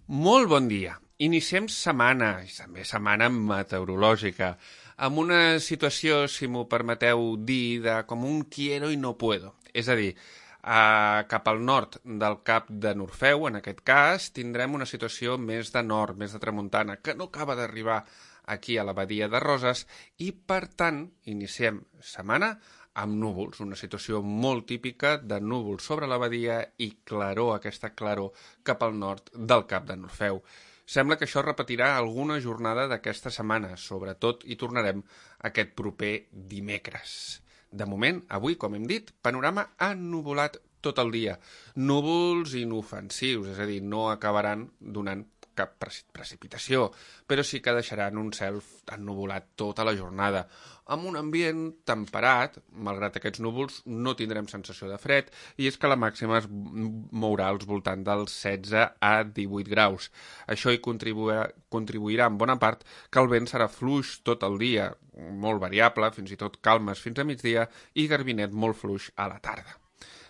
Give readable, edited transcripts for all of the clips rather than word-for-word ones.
Molt bon dia. Iniciem setmana, i també setmana meteorològica, amb una situació, si m'ho permeteu dir, de com un quiero i no puedo. És a dir, cap al nord del Cap de Norfeu, en aquest cas, tindrem una situació més de nord, més de tramuntana, que no acaba d'arribar aquí a la badia de Roses, i per tant iniciem setmana amb núvols, una situació molt típica de núvols sobre la badia i claror, aquesta claror cap al nord del Cap de Norfeu. Sembla que això repetirà alguna jornada d'aquesta setmana, sobretot hi tornarem aquest proper dimecres. De moment, avui, com hem dit, panorama ennuvolat tot el dia. Núvols inofensius, és a dir, no acabaran donant cap precipitació, però sí que deixaran un cel ennuvolat tota la jornada. Amb un ambient temperat, malgrat aquests núvols, no tindrem sensació de fred, i és que la màxima es mourà als voltants dels 16 a 18 graus. Això hi contribuirà en bona part que el vent serà fluix tot el dia, molt variable, fins i tot calmes fins a migdia, i garbinet molt fluix a la tarda.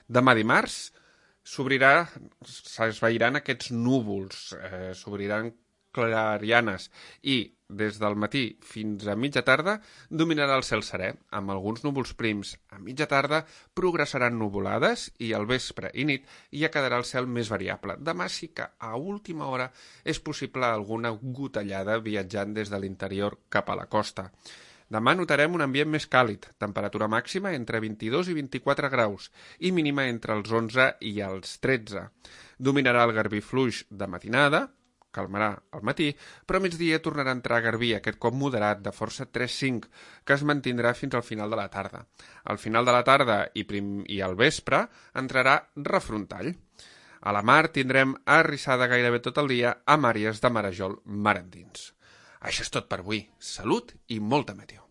Demà dimarts s'esvairan aquests núvols, s'obriran clarianes i des del matí fins a mitja tarda dominarà el cel serè, amb alguns núvols prims. A mitja tarda progressaran nuvolades i al vespre i nit ja quedarà el cel més variable. Demà sí que a última hora és possible alguna gotellada viatjant des de l'interior cap a la costa. Demà notarem un ambient més càlid, temperatura màxima entre 22 i 24 graus i mínima entre els 11 i els 13. Dominarà el garbí fluix de matinada, calmarà al matí, però a migdia tornarà a entrar garbí, aquest cop moderat, de força 3-5, que es mantindrà fins al final de la tarda. Al final de la tarda i al vespre entrarà refrontall. A la mar tindrem arrissada gairebé tot el dia amb àrees de marejol mar endins. Això és tot per avui. Salut i molta meteo.